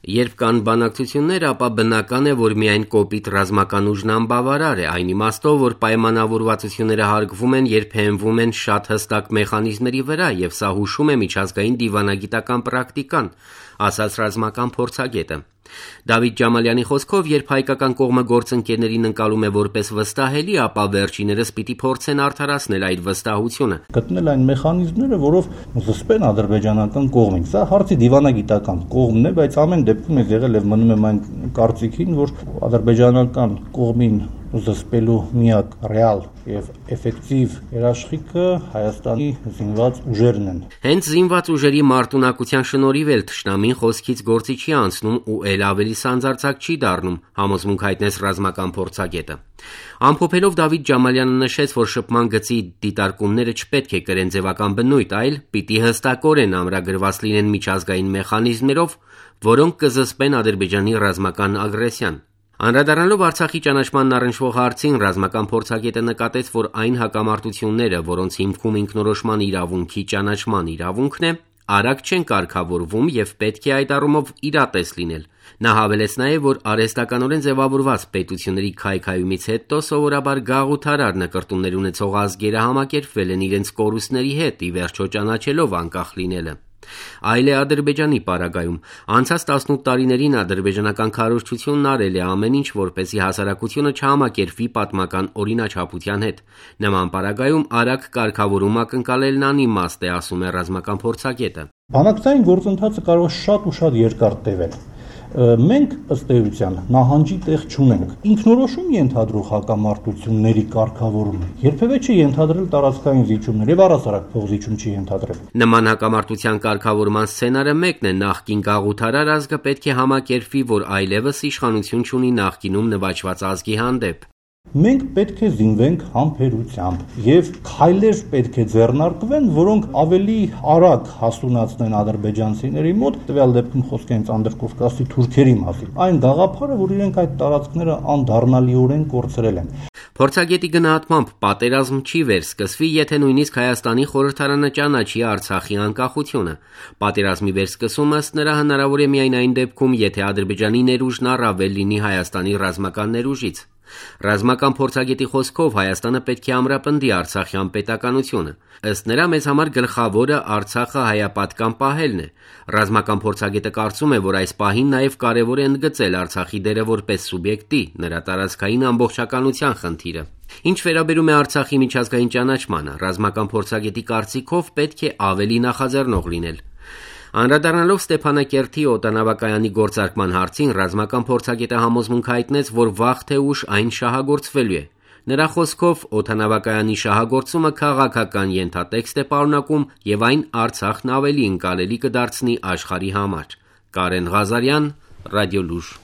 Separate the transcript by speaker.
Speaker 1: Երբ կան բանակցություններ, ապա բնական է, որ միայն կոպիտ ռազմական ուժն անբավարար է, այն իմաստով, որ պայմանավորվածությունները հարգվում են, երբ հենվում են շատ հստակ մեխանիզմների վրա, եւ սա հուշում է միջազգային դիվանագիտական պրակտիկան, ասաց ռազմական փորձագետը։ Դավիթ Ջամալյանի խոսքով, երբ հայկական կողմը գործընկերներին ընկալում է որպես վստահելի, ապա վերջիներս պիտի փորձեն արդարացնել այդ վստահությունը։
Speaker 2: Գտնել այն մեխանիզմները, որով զսպեն ադրբեջանական կողմին։ Սա հարցի դիվանագիտական կողմն է, բայց ամեն դեպքում ես եղել եւ մնում եմ այն կարծիքին, որ ադրբեջանական կողմին զսպելու միակ ռեալ եւ էֆեկտիվ երաշխիքը Հայաստանի զինված ուժերն են։
Speaker 1: Հենց զինված ուժերի մարտունակության շնորհիվ էլ թշնամին խոսքից գործի չի անցնում ու ել ավելի սանձարձակ չի դառնում, համոզմունք հայտնեց ռազմական փորձագետը։ Ամփոփելով Դավիթ Ջամալյանը նշեց, որ շփման գծի դիտարկումները չպետք է կրեն ձևական բնույթ, այլ պիտի հստակորեն ամրագրված լինեն միջազգային մեխանիզմներով, որոնք կզսպեն Ադրբեջանի ռազմական ագրեսիան։ Անդրադառնալով Արցախի ճանաչմանն առնչվող հարցին, ռազմական փորձագետը նկատեց, որ այն հակամարտությունները, որոնց հիմքում ինքնորոշման իրավունքի ճանաչման իրավունքն է, արագ չեն կարգավորվում եւ պետք է այդ առումով իրատես լինել։ Նա հավելեց նաեւ, որ արհեստականորեն ձևավորված պետությունների քայքայումից հետո սովորաբար գաղութարար նկրտումներ ունեցող ազգերը համակերպվել են իրենց կորուստների հետ, ի վերջո ճանաչելով անկախ լինելը։ Այլ է Ադրբեջանի պարագայում։ Անցած 18 տարիներին ադրբեջանական քարոզչությունն արել է ամեն ինչ, որպեսզի հասարակությունը չհամակերպվի պատմական օրինաչափության հետ։ Նման պարագայում արագ կարգավորում ակնկալելն անիմաստ է, ասում է ռազմական փորձագետը։
Speaker 2: Բանակցային գործընթացը կարող է շատ ու շատ երկար տևել։ Մենք ըստ էության նահանջի տեղ չունենք։ Ինքնորոշում ենթադրող հակամարտությունների կարգավորումը երբևէ չի ենթադրել տարածքային զիջումներ եւ առհասարակ փոխզիջում չի ենթադրել։
Speaker 1: Նման հակամարտության կարգավորման սցենարը մեկն է, նախկին գաղութարար ազգը պետք է համակերպվի, որ այլևս իշխանություն չունի նախկինում նվաճված ազգի հանդեպ։
Speaker 2: Մենք պետք է զինվենք համբերությամբ եւ քայլեր պետք է ձեռնարկվեն, որոնք ավելի արագ հասունացնեն ադրբեջանցիների մոտ, տվյալ դեպքում խոսք է Անդրկովկասի թուրքերի մասին։ Այն գաղափարը, որ իրենք այդ տարածքները անդառնալիորեն կորցրել են։
Speaker 1: Փորձագետի գնահատմամբ պատերազմ չի վերսկսվի, եթե նույնիսկ Հայաստանի խորհրդարանը ճանաչի Արցախի անկախությունը։ Պատերազմի վերսկսումը ըստ նրա հնարավոր է միայն այն դեպքում, եթե Ադրբեջանի ներուժն առավել լինի Հայաստանի ռազմական ներուժից։ Ռազմական փորձագետի խոսքով Հայաստանը պետք է ամրապնդի Արցախյան պետականությունը։ Ըստ նրա մեզ համար գլխավորը Արցախը հայապատկան պահելն է։ Ռազմական փորձագետը կարծում է, որ այս պահին նաև կարևոր է ընդգծել Արցախի դերը որպես սուբյեկտի, նրա տարածքային ամբողջականության խնդիրը։ Ինչ վերաբերում է Արցախի միջազգային ճանաչմանը, ռազմական փորձագետի կարծիքով պետք է ավելի նախաձեռնող լինել։ Անդրադառնալով Ստեփանակերտի օդանավակայանի գործարկման հարցին, ռազմական փորձագետը համոզմունք հայտնեց, որ վաղ թե ուշ այն շահագործվելու է։ Նրա խոսքով օդանավակայանի շահագործումը քաղաքական ենթատեքստ է պարունակում եւ այն Արցախն ավելի ընկալելի կդարձնի աշխարհի համար։ Կարեն Ղազարյան, Ռադիոլուր։